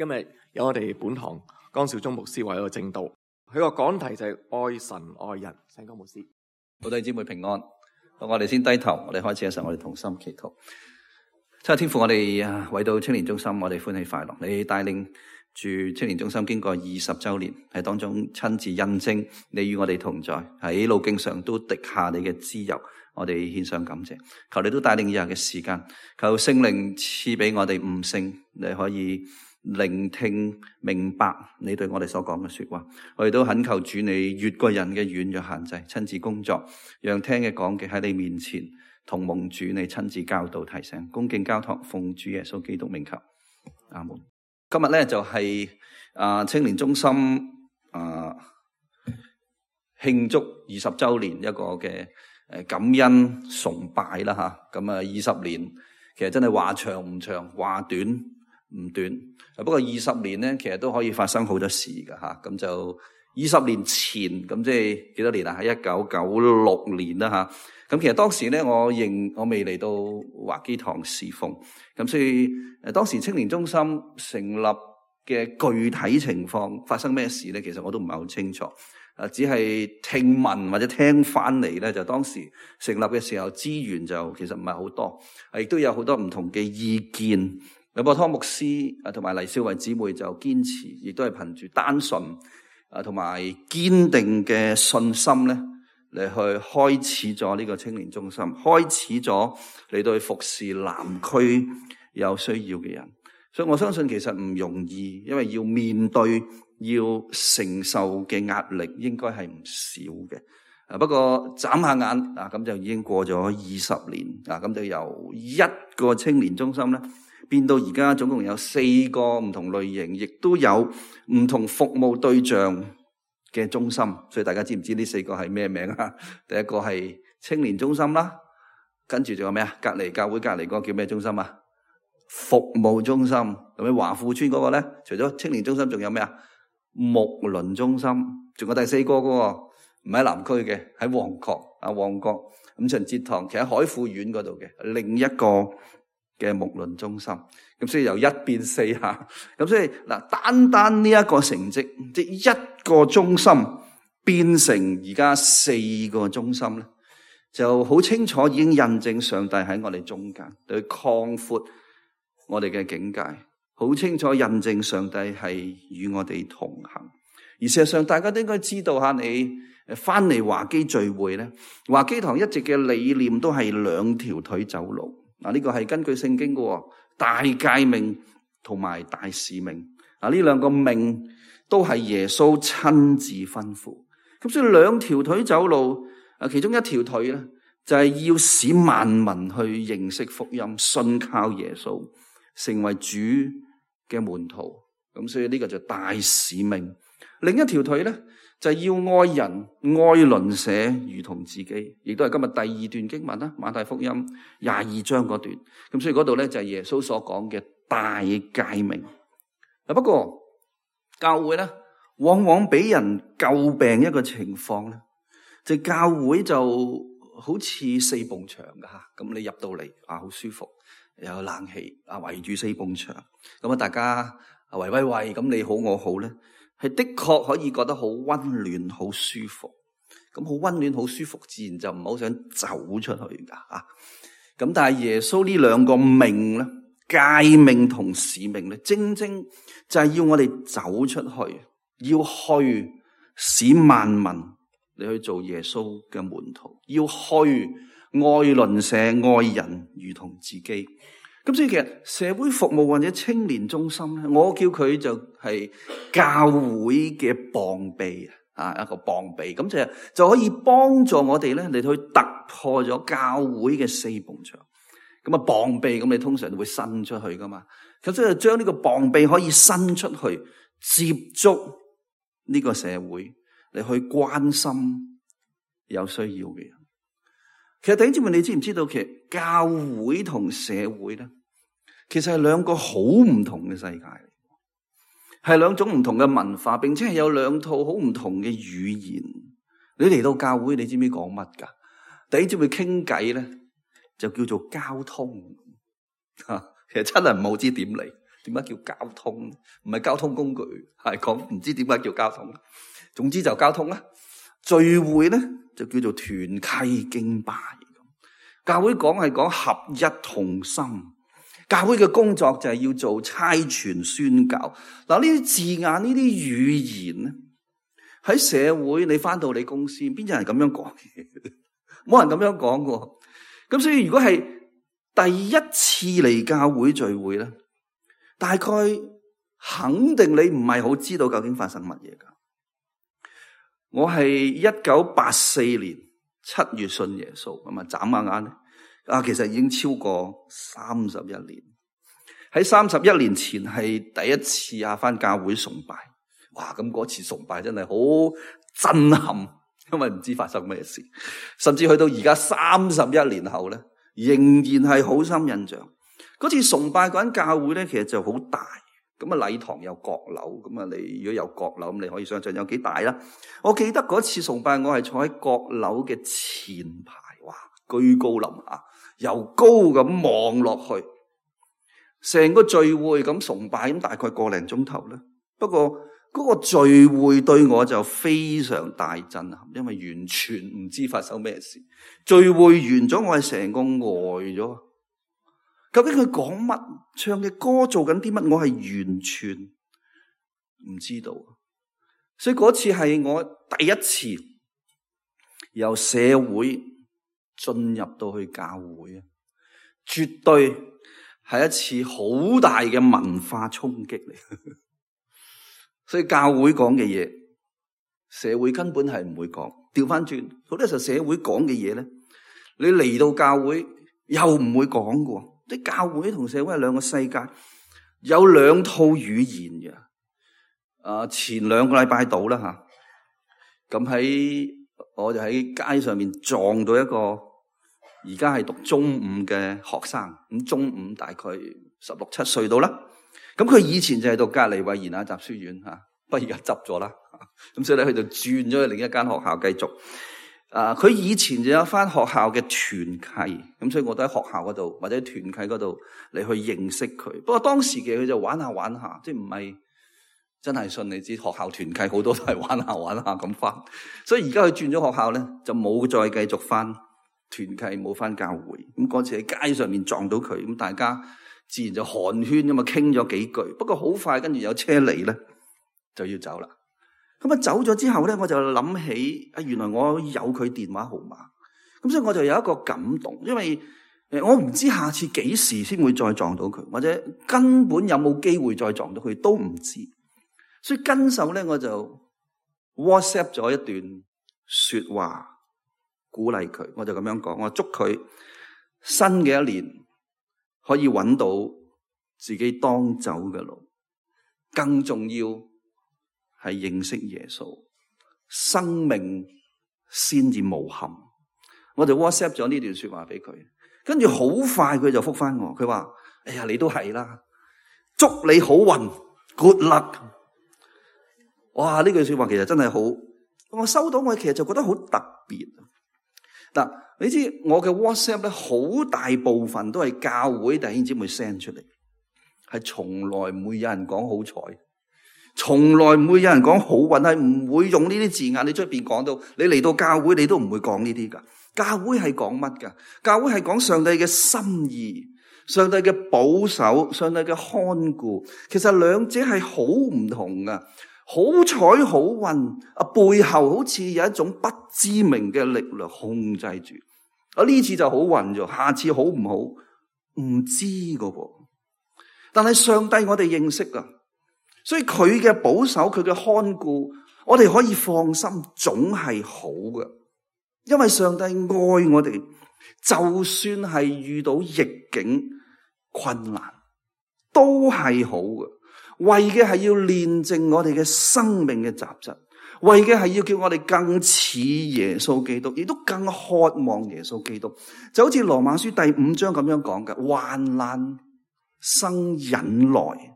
今日有我哋本堂江少忠牧師為我證道，佢個講題就係愛神愛人。請江牧師。好，弟兄姊妹平安。我哋先低頭，我哋開始嘅時候，我哋同心祈禱。親愛天父，我哋為到青年中心，我哋歡喜快樂。你帶領住青年中心經過20週年，喺當中親自印證你與我哋同在，喺路徑上都滴下你嘅脂油，我哋獻上感謝。求你都帶領以下嘅時間，求聖靈賜俾我哋悟性，你可以聆聽明白你對我哋所講嘅說話。我哋都懇求主你越過人嘅軟弱限制，親自工作，讓聽嘅講嘅喺你面前同蒙主你親自教導提醒，恭敬交託，奉主耶穌基督名求，阿門。今日咧就係青年中心慶祝20週年一個嘅感恩崇拜啦吓。咁20年其實真係話長唔長，話短唔短。不過20年咧，其實都可以發生好多事噶吓。咁就20年前，咁即係幾多年啊？喺1996年啦吓。咁其實當時咧，我未嚟到華基堂侍奉，咁所以當時青年中心成立嘅具體情況發生咩事咧？其實我都唔係好清楚，只係聽聞或者聽翻嚟咧，就當時成立嘅時候資源就其實唔係好多，亦都有好多唔同嘅意見。咁湯牧師同埋黎少維姊妹就堅持，亦都係憑住單純同埋堅定嘅信心咧，嚟去開始咗呢個青年中心，開始咗嚟到去服侍南區有需要嘅人。所以我相信其實唔容易，因為要面對要承受嘅壓力應該係唔少嘅。不過眨下眼咁就已經過咗20年咁就由一個青年中心咧變到而家總共有4個唔同類型，亦都有唔同服務對象嘅中心。所以大家知唔知呢4個係咩名啊？第一個係青年中心啦，跟住仲有咩啊？教會隔籬嗰個叫咩中心啊？服務中心。咁喺華富村嗰個咧，除咗青年中心仲有咩啊？牧倫中心。仲有第4個喎，唔喺南區嘅，喺旺角五旬節堂，其實喺海富苑嗰度嘅另一個嘅牧倫中心。咁所以由1變4吓。咁所以嗱，單呢一個成績，即係一個中心變成而家4個中心咧，就好清楚已經印證上帝喺我哋中間，對擴闊我哋嘅境界，好清楚印證上帝係與我哋同行。而事實上大家都應該知道下，你翻嚟華基聚會咧，華基堂一直嘅理念都係2條腿走路。呢個係根據聖經嘅大誡命同埋大使命。呢2個命都係耶穌親自吩咐。咁所以2條腿走路，其中1條腿咧就係要使萬民去認識福音，信靠耶穌，成為主嘅門徒。咁所以呢個就大使命。另一條腿咧就係要愛人愛鄰舍如同自己，亦都係今日第2段經文啦，馬太福音22章嗰段。咁所以嗰度咧就係耶穌所講嘅大誡命。不過教會咧往往俾人詬病一個情況咧，就教會就好似4埲牆噶吓。咁你入到嚟好舒服，有冷氣圍住4埲牆，咁大家圍咁你好我好咧，係的確可以覺得好溫暖好舒服。咁好溫暖好舒服，自然就唔好想走出去噶吓。咁但係耶穌呢2個命咧，誡命同使命咧，正正就係要我哋走出去，要去使萬民你去做耶穌嘅門徒，要去愛鄰舍愛人如同自己。咁所以其實社會服務或者青年中心咧，我叫佢就係教會嘅膀臂一個膀臂。咁就可以幫助我哋咧嚟去突破咗教會嘅4埲牆。咁膀臂咁你通常會伸出去噶嘛，咁所以將呢個膀臂可以伸出去接觸呢個社會，嚟去關心有需要嘅人。其實弟兄姊妹，你知唔知道其實教會同社會咧，其實係2個好唔同嘅世界嚟，係2種唔同嘅文化，並且係有2套好唔同嘅語言。你嚟到教會，你知唔知講乜噶？弟兄姊妹傾偈咧，就叫做交通。其實真係唔好知點嚟，點解叫交通？唔係交通工具，係講唔知點解叫交通。總之就交通啦。聚會咧就叫做團契敬拜。教會係講合一同心。教會嘅工作就係要做差傳宣教。嗱，呢啲字眼，呢啲語言咧，喺社會你翻到你公司，邊有人咁樣講嘅？冇人咁樣講過。咁所以如果係第一次嚟教會聚會咧，大概肯定你唔係好知道究竟發生乜嘢噶。我係1984年7月信耶穌，咁啊眨下眼咧，其實已經超過31年。喺31年前係第一次返教會崇拜，哇！咁嗰次崇拜真係好震撼，因為唔知發生咩事，甚至去到而家31年後咧，仍然係好深印象。嗰次崇拜嗰間教會咧，其實就好大，咁啊禮堂有閣樓，咁啊你如果有閣樓，咁你可以想象有幾大啦。我記得嗰次崇拜，我係坐喺閣樓嘅前排，哇，居高臨下，由高咁望落去，成個聚會咁崇拜，咁大概個零鐘頭啦。不過嗰個聚會對我就非常大震撼，因為完全唔知發生咩事。聚會完咗，我係成個呆咗。究竟佢講乜？唱嘅歌做緊啲乜？我係完全唔知道。所以嗰次係我第一次由社會進入到去教會啊，絕對係一次好大嘅文化衝擊嚟。所以教會講嘅嘢，社會根本係唔會講。調翻轉，好多時候社會講嘅嘢咧，你嚟到教會又唔會講嘅。啲教會同社會係兩個世界，有兩套語言嘅。前2個禮拜到啦吓，咁我就喺街上面撞到一個而家係讀中5嘅學生，咁中5大概16、17歲到啦。咁佢以前就係讀隔離衛言雅集書院吓，不過而家執咗啦。咁所以咧，佢就轉咗去另一間學校繼續。佢以前就有返學校嘅團契，咁所以我都喺學校嗰度或者團契嗰度嚟去認識佢。不過當時嘅佢就玩下玩下，即係唔係真係信。你知學校團契好多都係玩下玩下咁返，所以而家佢轉咗學校咧，就冇再繼續返團契，冇返教會。咁嗰次喺街上面撞到佢，咁大家自然就寒暄咁啊，傾咗幾句。不過好快跟住有車嚟咧，就要走啦。咁啊走咗之後咧，我就諗起原來我有佢電話號碼，咁所以我就有一個感動，因為我唔知下次幾時先會再撞到佢，或者根本有冇機會再撞到佢都唔知，所以跟手咧我就 WhatsApp 咗一段說話鼓勵佢，我就咁樣講，我祝佢新嘅一年可以揾到自己當走嘅路，更重要係認識耶穌，生命先至無憾。我就 WhatsApp 咗呢段說話俾佢，跟住好快佢就覆返我，佢話：哎呀，你都係啦，祝你好運 ，good luck。哇！呢句說話其實真係好，我收到我其實就覺得好特別。嗱，你知我嘅 WhatsApp 咧，好大部分都係教會弟兄姊妹 send 出嚟，係從來唔會有人講好彩。從來唔會有人講好運，係唔會用呢啲字眼。你出邊講到，你嚟到教會你都唔會講呢啲噶。教會係講乜噶？教會係講上帝嘅心意，上帝嘅保守，上帝嘅看顧。其實兩者係好唔同噶。好彩好運背後好似有一種不知名嘅力量控制住。呢次就好運咗，下次好唔好唔知噶噃。但係上帝我哋認識噶。所以佢嘅保守，佢嘅看顧，我哋可以放心，總係好嘅。因為上帝愛我哋，就算係遇到逆境困難，都係好嘅。為嘅係要煉淨我哋嘅生命嘅雜質，為嘅係要叫我哋更似耶穌基督，亦都更渴望耶穌基督。就好似羅馬書第5章咁樣講嘅，患難生忍耐。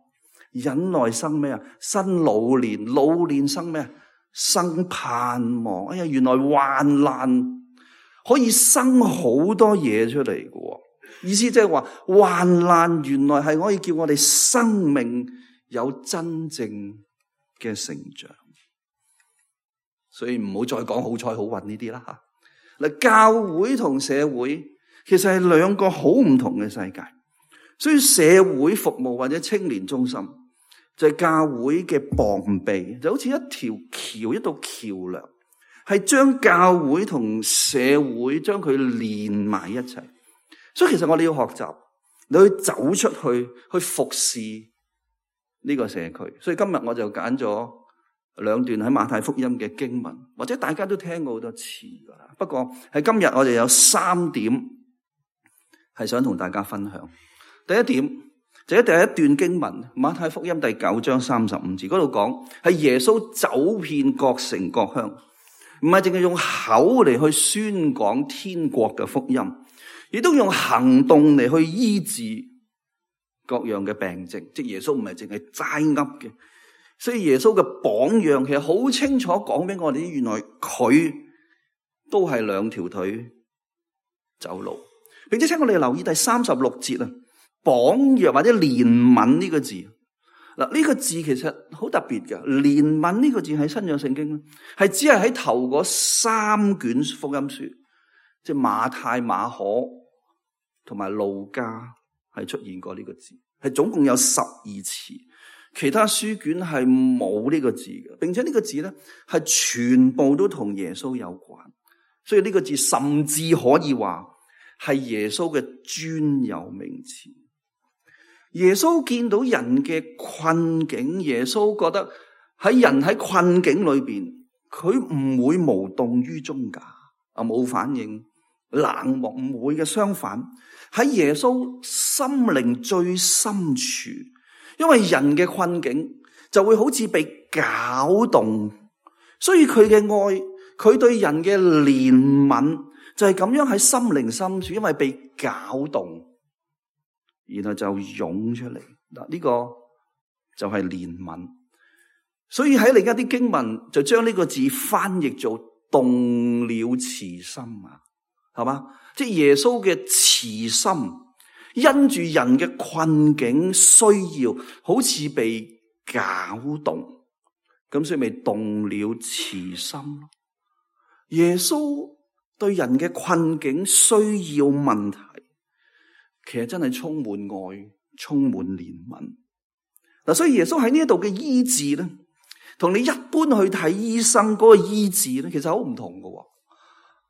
忍耐生咩啊？生老年，老年生咩啊？生盼望。哎呀，原來患難可以生好多嘢出嚟嘅。意思即係話患難原來係可以叫我哋生命有真正嘅成長。所以唔好再講好彩好運呢啲啦吓。嗱，教會同社會其實係兩個好唔同嘅世界。所以社會服務或者青年中心就係教會嘅膀臂，就好似一條橋，一道橋樑，係將教會同社會將佢連埋一齊。所以其實我哋要學習，你去走出去，去服侍呢個社區。所以今日我就揀咗兩段喺馬太福音嘅經文，或者大家都聽過好多次噶啦。不過喺今日我哋有3點係想同大家分享。第一點就係第一段經文，馬太福音第9章35節嗰度講，係耶穌走遍各城各鄉，唔係淨係用口嚟去宣講天國嘅福音，亦都用行動嚟去醫治各樣嘅病症。即係耶穌唔係淨係齋噏嘅，所以耶穌嘅榜樣其實好清楚講俾我哋，原來佢都係2條腿走路。並且請我哋留意第36節啊，榜樣或者憐憫呢個字。嗱，呢個字其實好特別嘅。憐憫呢個字喺新約聖經咧，係只係喺頭嗰3卷福音書，即係馬太、馬可同埋路加係出現過呢個字，係總共有12次。其他書卷係冇呢個字嘅，並且呢個字咧係全部都同耶穌有關，所以呢個字甚至可以話係耶穌嘅專有名詞。耶穌見到人嘅困境，耶穌覺得人喺困境裏邊，佢唔會無動於衷噶，冇反應、冷漠，唔會嘅。相反，喺耶穌心靈最深處，因為人嘅困境就會好似被攪動，所以佢嘅愛，佢對人嘅憐憫就係咁樣喺心靈深處，因為被攪動，然後就湧出嚟。嗱，呢個就係憐憫。所以喺另一啲經文就將呢個字翻譯做動了慈心啊，係嘛？即係耶穌嘅慈心，因住人嘅困境需要，好似被攪動，咁所以咪動了慈心咯。耶穌對人嘅困境需要問題，其實真係充滿愛，充滿憐憫。嗱，所以耶穌喺呢一度嘅醫治咧，同你一般去睇醫生嗰個醫治咧，其實好唔同㗎。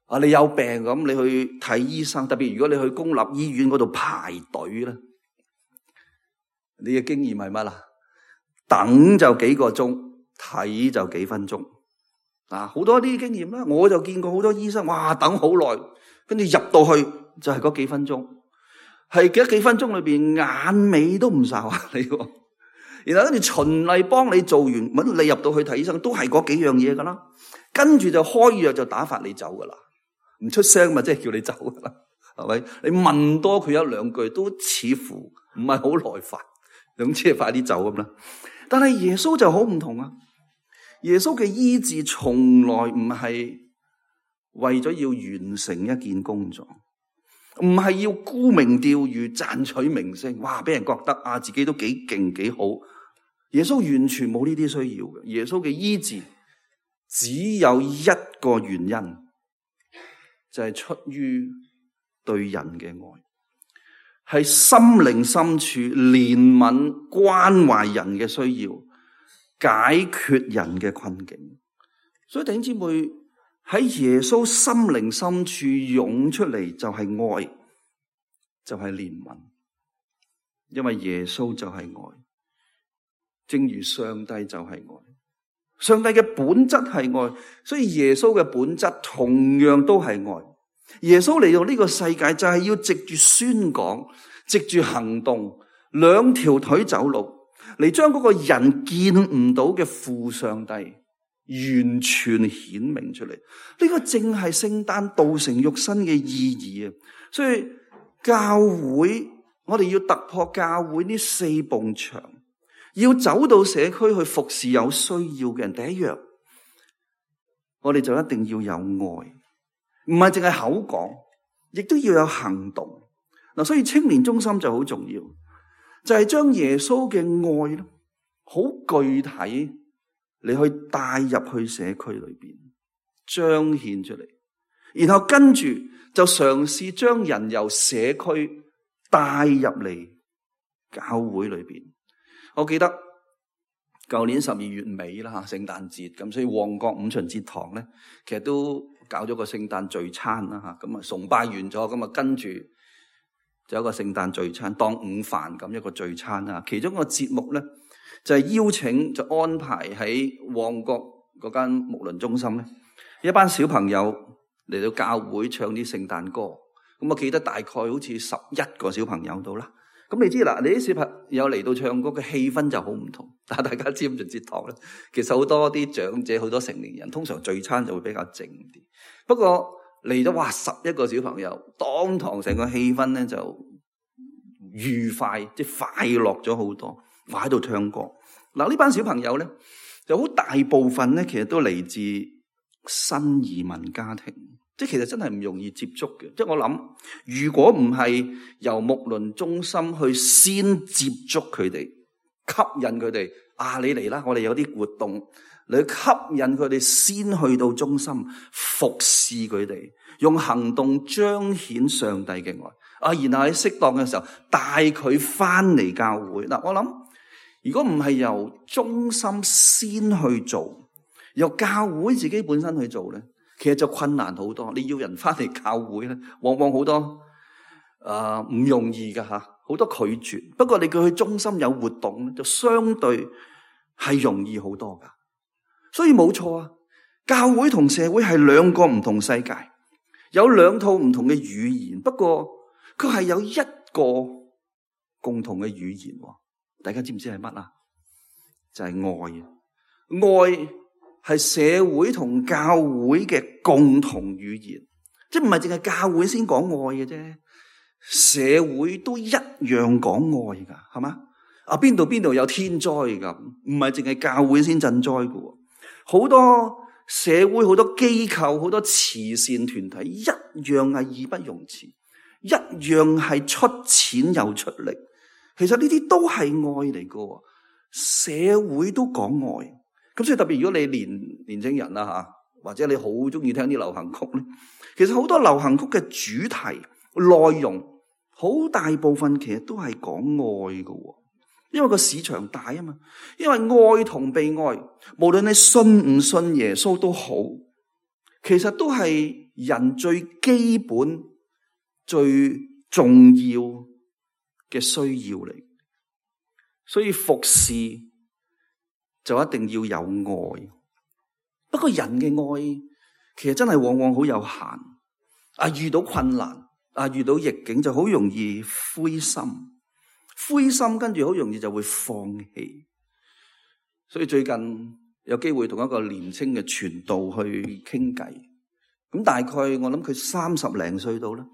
啊，你有病咁，你去睇醫生，特別如果你去公立醫院嗰度排隊咧，你嘅經驗係乜啦？等就幾個鐘，睇就幾分鐘。啊，好多啲經驗啦，我就見過好多醫生，哇，等好耐，跟住入到去就係嗰幾分鐘，係幾分鐘裏邊眼尾都唔睄啊你。然後跟住循例幫你做完，你入到去睇醫生都係嗰幾樣嘢噶啦，跟住就開藥就打發你走噶啦，唔出聲咪即係叫你走噶啦，係咪？你問多佢一兩句都似乎唔係好耐煩，總之係快啲走咁啦。但係耶穌就好唔同啊！耶穌嘅醫治從來唔係為咗要完成一件工作，唔係要沽名釣譽賺取名聲，哇！俾人覺得啊自己都幾勁幾好。耶穌完全冇呢啲需要嘅。耶穌嘅醫治只有一個原因，就係出於對人嘅愛，係心靈深處憐憫關懷人嘅需要，解決人嘅困境。所以弟兄姊妹，喺耶穌心靈深處湧出嚟就係愛，就係憐憫，因為耶穌就係愛。正如上帝就係愛，上帝嘅本質係愛，所以耶穌嘅本質同樣都係愛。耶穌嚟到呢個世界就係要藉住宣講，藉住行動，2條腿走路，嚟將嗰個人見唔到嘅父上帝完全顯明出嚟。呢個正係聖誕道成肉身嘅意義啊！所以教會，我哋要突破教會呢4埲牆，要走到社區去服侍有需要嘅人。第一樣，我哋就一定要有愛，唔係淨係口講，亦都要有行動。嗱，所以青年中心就好重要，就係將耶穌嘅愛咧，好具體，你去帶入去社區裏邊，彰顯出嚟，然後跟住就嘗試將人由社區帶入嚟教會裏邊。我記得舊年12月尾啦，聖誕節咁，所以旺角五旬節堂咧，其實都搞咗個聖誕聚餐啦，咁啊崇拜完咗，咁啊跟住就有一個聖誕聚餐，當午飯咁一個聚餐啦。其中一個節目咧就係邀請，就安排喺旺角嗰間牧倫中心咧，一班小朋友嚟到教會唱啲聖誕歌。咁我記得大概好似11個小朋友到啦。咁你知啦，你啲小朋友嚟到唱歌嘅氣氛就好唔同。但係大家知唔知節堂咧？其實好多啲長者、好多成年人，通常聚餐就會比較靜啲。不過嚟咗11個小朋友，當堂成個氣氛咧就愉快，即係快樂咗好多。話喺度唱歌。嗱，呢班小朋友咧就好大部分咧，其實都嚟自新移民家庭。即係其實真係唔容易接觸嘅，即係我諗，如果唔係由牧倫中心去先接觸佢哋，吸引佢哋，你嚟啦，我哋有啲活動，你吸引佢哋先去到中心服侍佢哋，用行動彰顯上帝嘅愛，然後喺適當嘅時候帶佢翻嚟教會。嗱，我諗如果唔係由中心先去做，由教會自己本身去做咧，其實就困難好多。你要人翻嚟教會咧，往往好多唔容易噶吓，好多拒絕。不過你叫佢中心有活動咧，就相對係容易好多噶。所以冇錯啊，教會同社會係兩個唔同世界，有兩套唔同嘅語言。不過佢係有一個共同嘅語言。大家知唔知係乜啊？就係愛啊！愛係社會同教會嘅共同語言，即係唔係淨係教會先講愛嘅啫，社會都一樣講愛噶，係嘛？邊度有天災噶，唔係淨係教會先賑災噶，好多社會、好多機構、好多慈善團體一樣係義不容辭，一樣係出錢又出力。其實呢啲都係愛嚟噶，社會都講愛。咁所以特別如果你年輕人啦吓，或者你好中意聽啲流行曲咧，其實好多流行曲嘅主題內容好大部分其實都係講愛㗎，因為個市場大啊嘛。因為愛同被愛，無論你信唔信耶穌都好，其實都係人最基本、最重要嘅需要嚟。所以服侍就一定要有愛，不過人嘅愛其實真係往往好有限。遇到困難，遇到逆境就好容易灰心，跟住好容易就會放棄。所以最近有機會同一個年輕嘅傳道去傾偈，咁大概我諗佢30零歲到啦。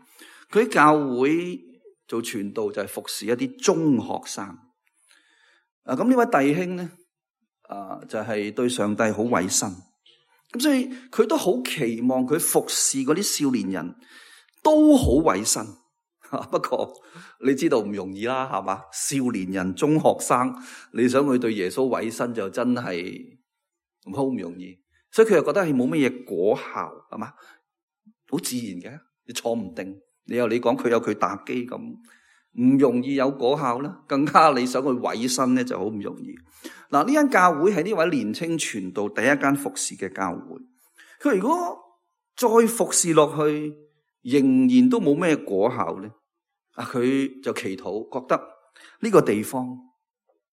佢喺教會做傳道就係服侍一啲中學生。咁呢位弟兄咧，就係對上帝好委身，咁所以佢都好期望佢服侍嗰啲少年人都好委身。不過你知道唔容易啦，係嘛？少年人、中學生，你想佢對耶穌委身就真係好唔容易。所以佢又覺得係冇乜嘢果效，係嘛？好自然嘅，你坐唔定，你講佢有佢打機咁。唔容易有果效啦，更加你想去委身咧就好唔容易。嗱，呢間教會係呢位年青傳道第一間服侍嘅教會。佢如果再服侍落去，仍然都冇咩果效咧，佢就祈禱，覺得呢個地方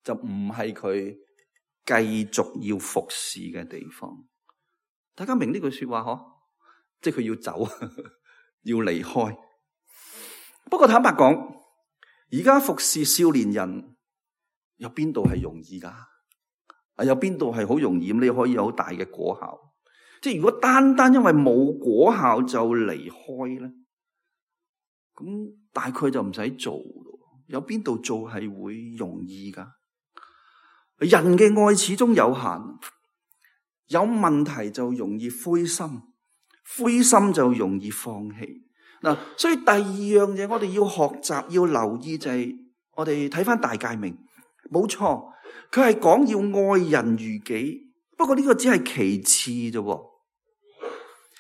就唔係佢繼續要服侍嘅地方。大家明呢句說話嗬？即係佢要走，要離開。不過坦白講，而家服侍少年人有邊度係容易噶？有邊度係好容易？你可以有好大嘅果效。即係如果單單因為冇果效就離開咧，咁大概就唔使做咯。有邊度做係會容易噶？人嘅愛始終有限，有問題就容易灰心，灰心就容易放棄。嗱，所以第二樣嘢我哋要學習要留意就係我哋睇翻大誡命，冇錯，佢係講要愛人如己，不過呢個只係其次啫。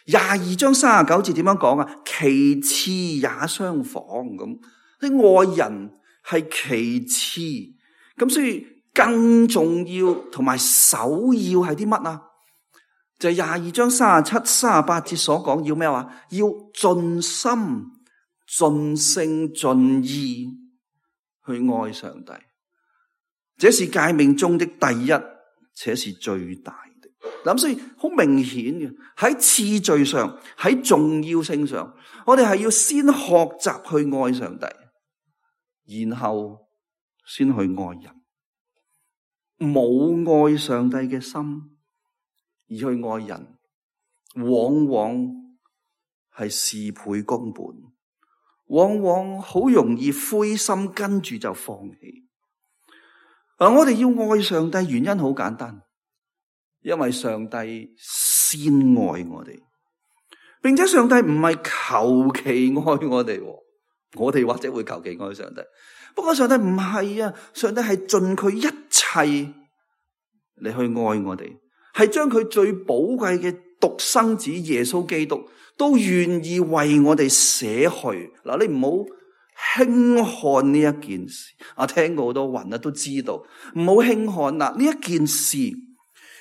22章39節點樣講啊？其次也相仿咁，啲愛人係其次，咁所以更重要同埋首要係啲乜啊？就係22章37、38節所講要咩話？要盡心、盡性、盡意去愛上帝，這是誡命中的第一，且是最大的。咁所以好明顯嘅，喺次序上，喺重要性上，我哋係要先學習去愛上帝，然後先去愛人。冇愛上帝嘅心而去愛人，往往係事倍功半，往往好容易灰心，跟住就放棄。我哋要愛上帝，原因好簡單，因為上帝先愛我哋，並且上帝唔係求其愛我哋，我哋或者會求其愛上帝，不過上帝唔係啊，上帝係盡佢一切嚟去愛我哋，係將佢最寶貴嘅獨生子耶穌基督都願意為我哋捨去。嗱，你唔好輕看呢一件事，聽過好多云都知道，唔好輕看啦。呢一件事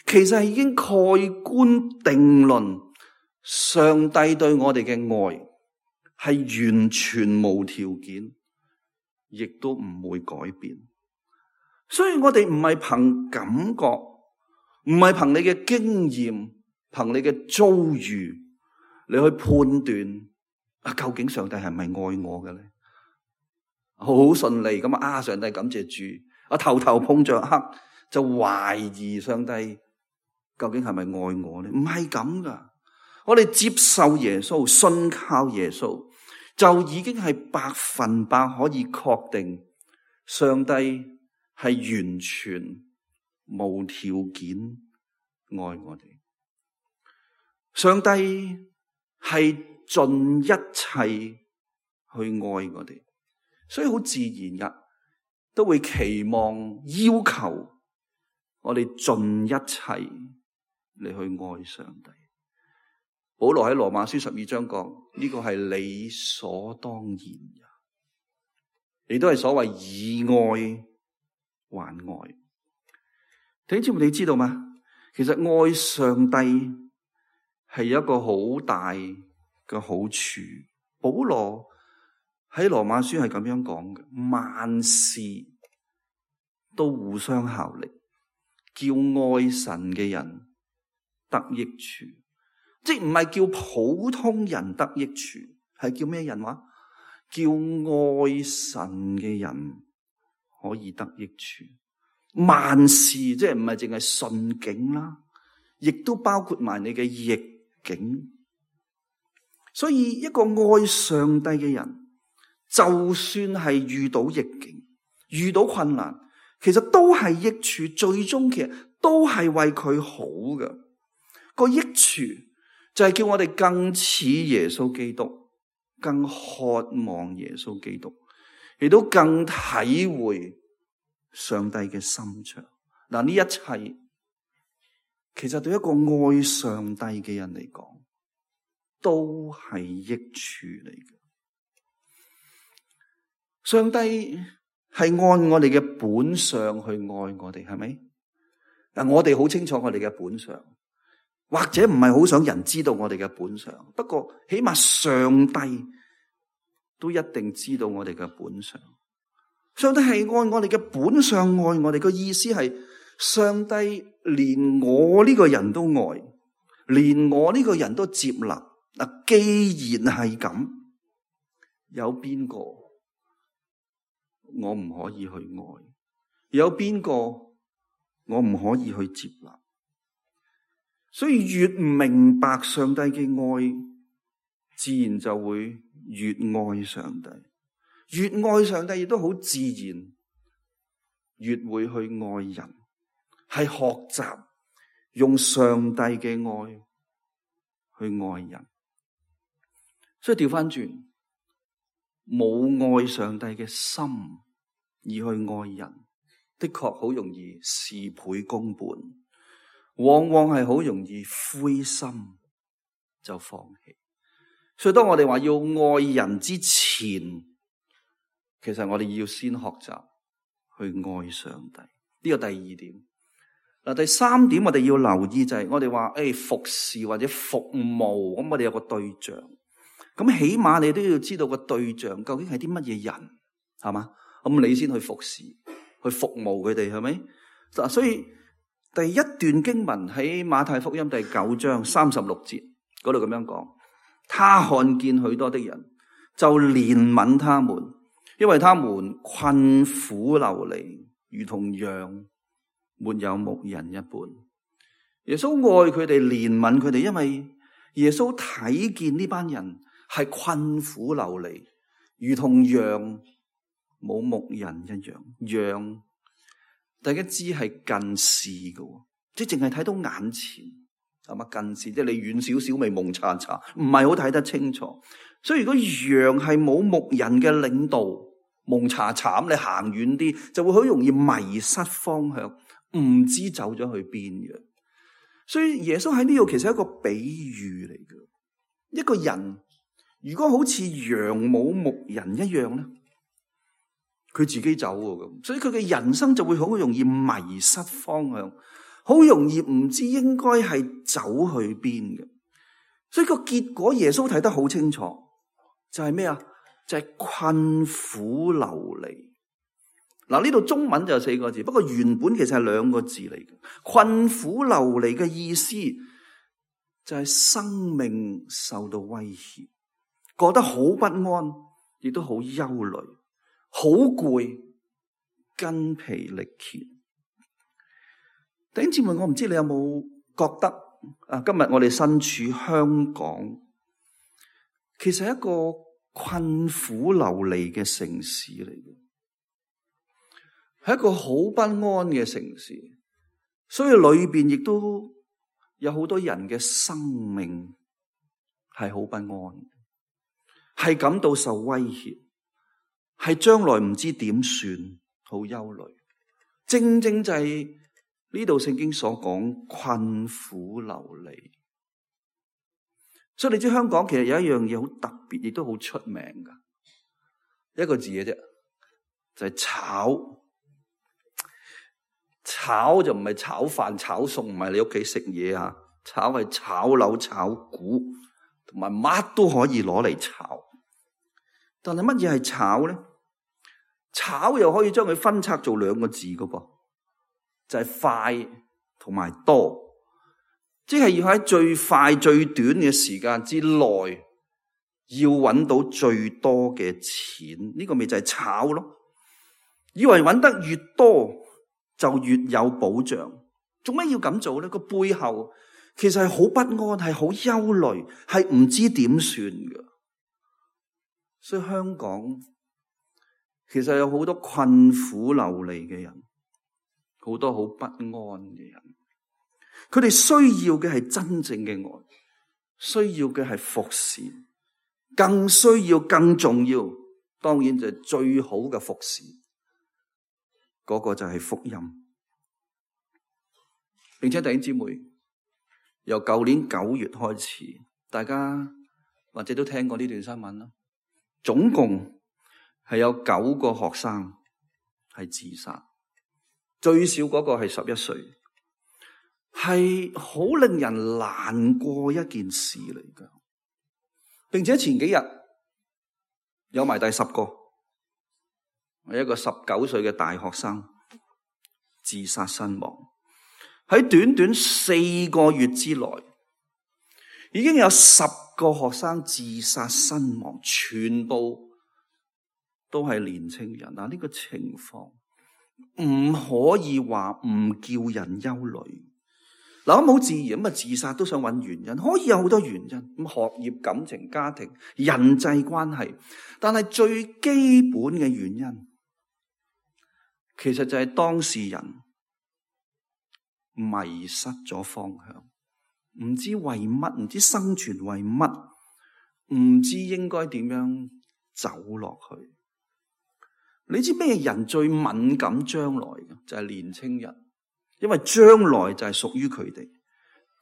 其實係已經蓋棺定論，上帝對我哋嘅愛係完全無條件，亦都唔會改變。所以我哋唔係憑感覺，唔係憑你嘅經驗，憑你嘅遭遇，你去判斷究竟上帝係咪愛我嘅咧？好順利咁上帝感謝主，頭頭碰着黑就懷疑上帝究竟係咪愛我咧？唔係咁噶，我哋接受耶穌，信靠耶穌，就已經係100%可以確定上帝係完全無條件愛我哋。上帝係盡一切去愛我哋，所以好自然噶，都會期望要求我哋盡一切嚟去愛上帝。保羅喺羅馬書12章講，呢個係理所當然嘅，亦都係所謂以愛還愛。弟兄姊妹，你知道嗎？其實愛上帝係一個好大嘅好處。保羅喺羅馬書係咁樣講嘅，萬事都互相效力，叫愛神嘅人得益處。即唔係叫普通人得益處，係叫咩人話？叫愛神嘅人可以得益處。萬事即係唔係淨係順境啦，亦都包括埋你嘅逆境。所以一個愛上帝嘅人，就算係遇到逆境、遇到困難，其實都係益處，最終其實都係為佢好嘅。個益處就係叫我哋更似耶穌基督，更渴望耶穌基督，亦都更體會上帝嘅心腸。嗱，呢一切其實對一個愛上帝嘅人嚟講，都係益處嚟嘅。上帝係按我哋嘅本相去愛我哋，係咪？我哋好清楚我哋嘅本相，或者唔係好想人知道我哋嘅本相，不過起碼上帝都一定知道我哋嘅本相。上帝係按我哋嘅本相愛我哋，個意思係上帝連我呢個人都愛，連我呢個人都接納。嗱，既然係咁，有邊個我唔可以去愛？有邊個我唔可以去接納？所以越明白上帝嘅愛，自然就會越愛上帝。越愛上帝，亦都好自然越會去愛人，係學習用上帝嘅愛去愛人。所以調翻轉，冇愛上帝嘅心而去愛人，的確好容易事倍功半，往往係好容易灰心就放棄。所以當我哋話要愛人之前，其實我哋要先學習去愛上帝。呢個第二點。嗱，第三點我哋要留意就係我哋話服侍或者服務，咁我哋有個對象，咁起碼你都要知道個對象究竟係啲乜嘢人，係嘛？咁你先去服侍去服務佢哋，係咪？嗱，所以第一段經文喺馬太福音第9章36節嗰度咁樣講，他看見許多的人，就憐憫他們，因為他們困苦流離，如同羊沒有牧人一般。耶穌愛佢哋，憐憫佢哋，因為耶穌睇見呢班人係困苦流離，如同羊冇牧人一樣。羊大家知係近視嘅，即係淨係睇到眼前，係嘛？近視即係你遠少少咪蒙查查，唔係好睇得清楚。所以如果羊係冇牧人嘅領導，蒙查查咁，你行遠啲就會好容易迷失方向，唔知走咗去邊嘅。所以耶穌喺呢度其實係一個比喻嚟嘅。一個人如果好似羊冇牧人一樣咧，佢自己走咁，所以佢嘅人生就會好容易迷失方向，好容易唔知應該係走去邊嘅。所以個結果耶穌睇得好清楚，就係咩啊？就係困苦流離。嗱，呢度中文就有4個字，不過原本其實係2個字嚟嘅。困苦流離嘅意思就係生命受到威脅，覺得好不安，亦都好憂慮，好攰，筋疲力竭。弟兄姊妹，我唔知你有冇覺得今日我哋身處香港，其實係一個困苦流離嘅城市嚟嘅，係一個好不安嘅城市，所以裏邊亦都有好多人嘅生命係好不安，係感到受威脅，係將來唔知點算，好憂慮。正正就係呢度聖經所講困苦流離。所以你知香港其實有一樣嘢好特別，亦都好出名噶，一個字嘅啫，就係炒。炒就唔係炒飯炒餸，唔係你屋企食嘢啊，炒係炒樓炒股，同埋乜都可以攞嚟炒。但係乜嘢係炒咧？炒又可以將佢分拆做2個字噶噃，就係快同埋多。即係要喺最快最短嘅時間之內，要揾到最多嘅錢，呢個咪就係炒咯。以為揾得越多就越有保障，做咩要咁做咧？個背後其實係好不安，係好憂慮，係唔知點算㗎。所以香港其實有好多困苦流離嘅人，好多好不安嘅人。佢哋需要嘅係真正嘅愛，需要嘅係服侍，更需要更重要，當然就係最好嘅服侍，嗰個就係福音。並且弟兄姊妹，由舊年9月開始，大家或者都聽過呢段新聞啦，總共係有9個學生係自殺，最少嗰個係11歲。係好令人難過一件事嚟噶，並且前幾日有埋第10個，係一個19歲嘅大學生自殺身亡。喺短短4個月之內，已經有10個學生自殺身亡，全部都係年青人。呢個情況唔可以話唔叫人憂慮。咁好自然咁啊！自殺都想揾原因，可以有好多原因。咁學業、感情、家庭、人際關係，但係最基本嘅原因，其實就係當事人迷失咗方向，唔知為乜，唔知生存為乜，唔知應該點樣走落去。你知咩人最敏感將來嘅？就係年青人，因為將來就係屬於佢哋，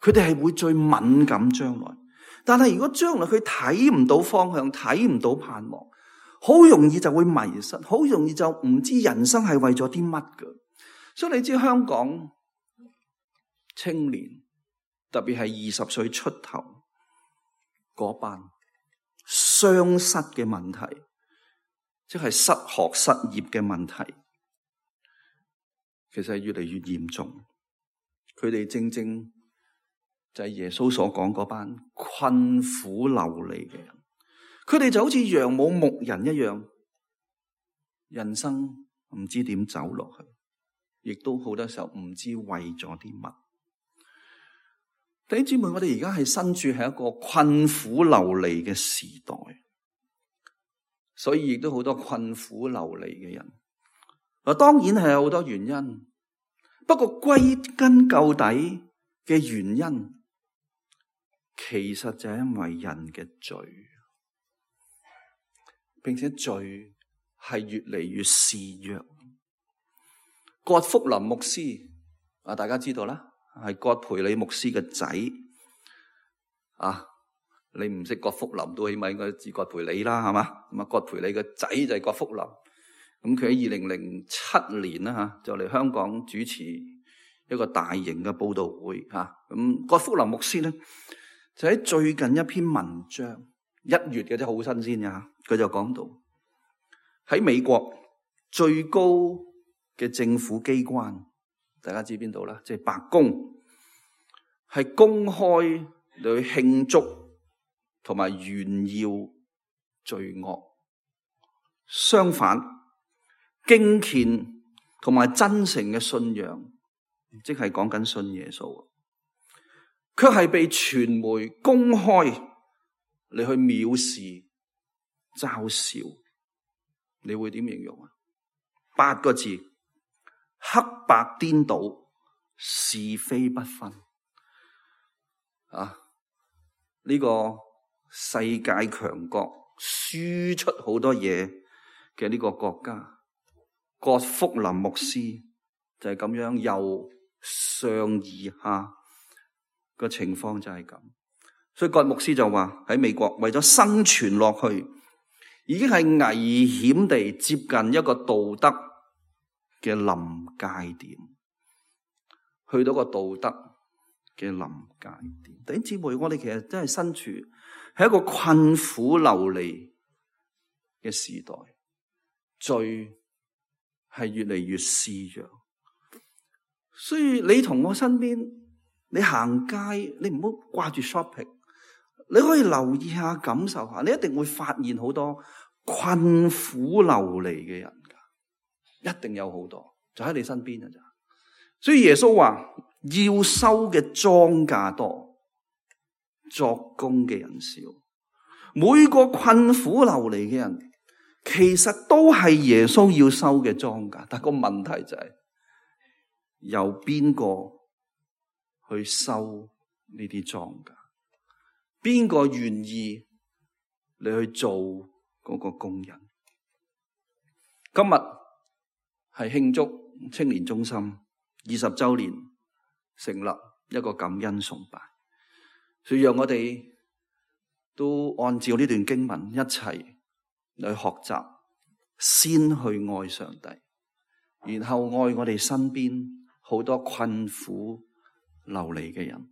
佢哋係會最敏感將來。但係如果將來佢睇唔到方向，睇唔到盼望，好容易就會迷失，好容易就唔知人生係為咗啲乜㗎。所以你知香港青年，特別係20歲出頭嗰班雙失嘅問題，即係失學失業嘅問題，其實係越嚟越嚴重。佢哋正正就係耶穌所講嗰班困苦流離嘅人，佢哋就好似羊冇牧人一樣，人生唔知點走落去，亦都好多時候唔知為咗啲乜。弟兄姊妹，我哋而家係身處喺一個困苦流離嘅時代，所以亦都好多困苦流離嘅人。當然係有好多原因，不過歸根究底嘅原因，其實就係因為人嘅罪，並且罪係越嚟越肆虐。葛福林牧師大家知道啦，係葛培理牧師嘅仔你唔識葛福林都起碼應該知葛培理啦，係嘛？咁葛培理嘅仔就係葛福林。咁佢喺2007年啦就嚟香港主持一個大型嘅佈道會咁葛福林牧師咧就喺最近一篇文章1月嘅啫，好新鮮嘅佢就講到喺美國最高嘅政府機關，大家知邊度啦？即係白宮，係公開嚟去慶祝同埋炫耀罪惡。相反，敬虔同埋真誠嘅信仰，即係講緊信耶穌，卻係被傳媒公開嚟去藐視、嘲笑。你會點形容？8個字：黑白顛倒，是非不分。呢個世界強國輸出好多嘢嘅呢個國家，葛福林牧師就係咁樣由上而下個情況就係咁。所以葛牧師就話喺美國為咗生存落去，已經係危險地接近一個道德嘅臨界點，去到個道德嘅臨界點。弟兄姊妹，我哋其實真係身處係一個困苦流離嘅時代，罪係越嚟越肆虐。所以你同我身邊，你行街，你唔好掛住 shopping， 你可以留意下、感受下，你一定會發現好多困苦流離嘅人噶，一定有好多，就喺你身邊噶咋。所以耶穌話要收嘅莊稼多，作工嘅人少。每個困苦流離嘅人，其實都係耶穌要收嘅莊稼，但個問題就係由邊個去收呢啲莊稼？邊個願意你去做嗰個工人？今日係慶祝青年中心20週年成立一個感恩崇拜，所以讓我哋都按照呢段經文一齊去學習，先去愛上帝，然後愛我哋身邊好多困苦流離嘅人。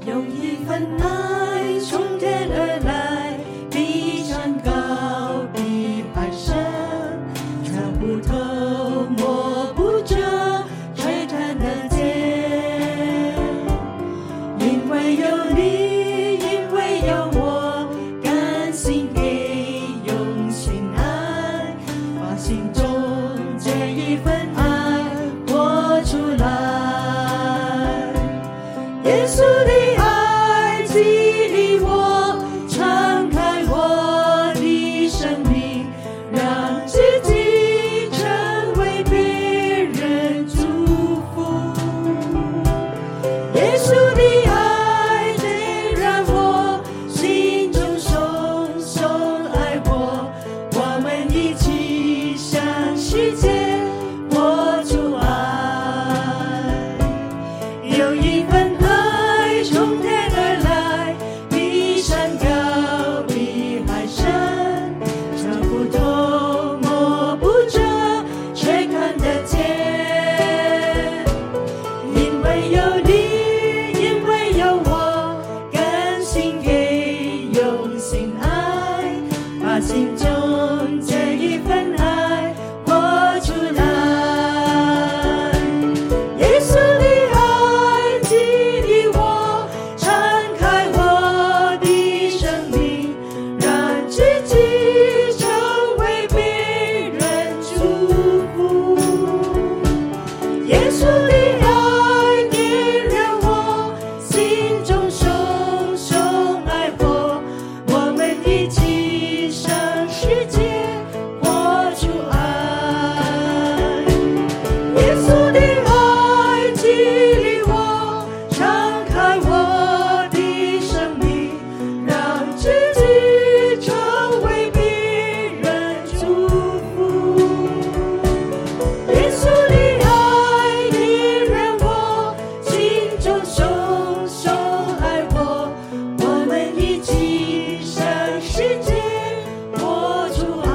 有一份愛從天而來，比山高，比海深，測不透，摸不着，窺探得見。因為有你，因為有我，甘心給用心愛。耶稣的爱激励我，敞开我的生命，让自己成为别人祝福。耶稣的爱点燃我心中深深爱我，我们一起向世界播出爱。有一份爱从天而来，比山高比海深，找不透摸不着，却看得见。因为有你，因为有我，甘心给用心爱，把心中这一份爱活出来。耶稣的爱激励我，敞开我的生命，让自己成为别人祝福。耶稣的爱点燃我心中深深爱我，我们一起向世界活出爱。耶稣的爱激励我，敞开我的生命，让自己成为别人祝福。耶稣的爱点燃我心中深深爱我，我们一起向世界活出爱。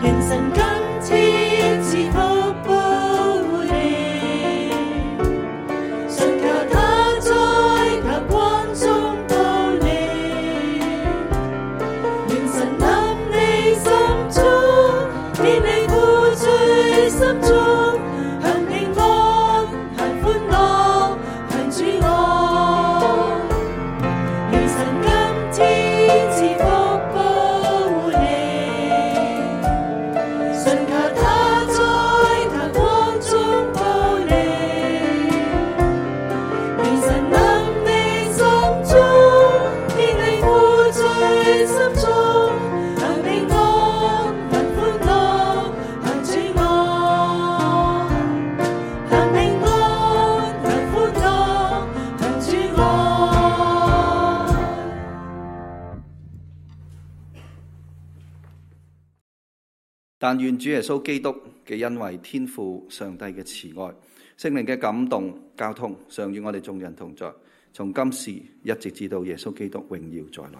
願神今天賜福保護你，信靠他在他光中保你。願神臨你心中，免你負罪心中，向平安，向歡樂，向主愛。願神今天賜福保護你，信靠他在他光中保你。願神臨你心中，免你負罪心中，向平安，向歡樂，向主愛。向平安，向歡樂，向主愛。但願主耶穌基督嘅恩惠、天父上帝嘅慈愛、聖靈嘅感動、交通，常與我哋眾人同在，從今時一直至到耶穌基督榮耀再來。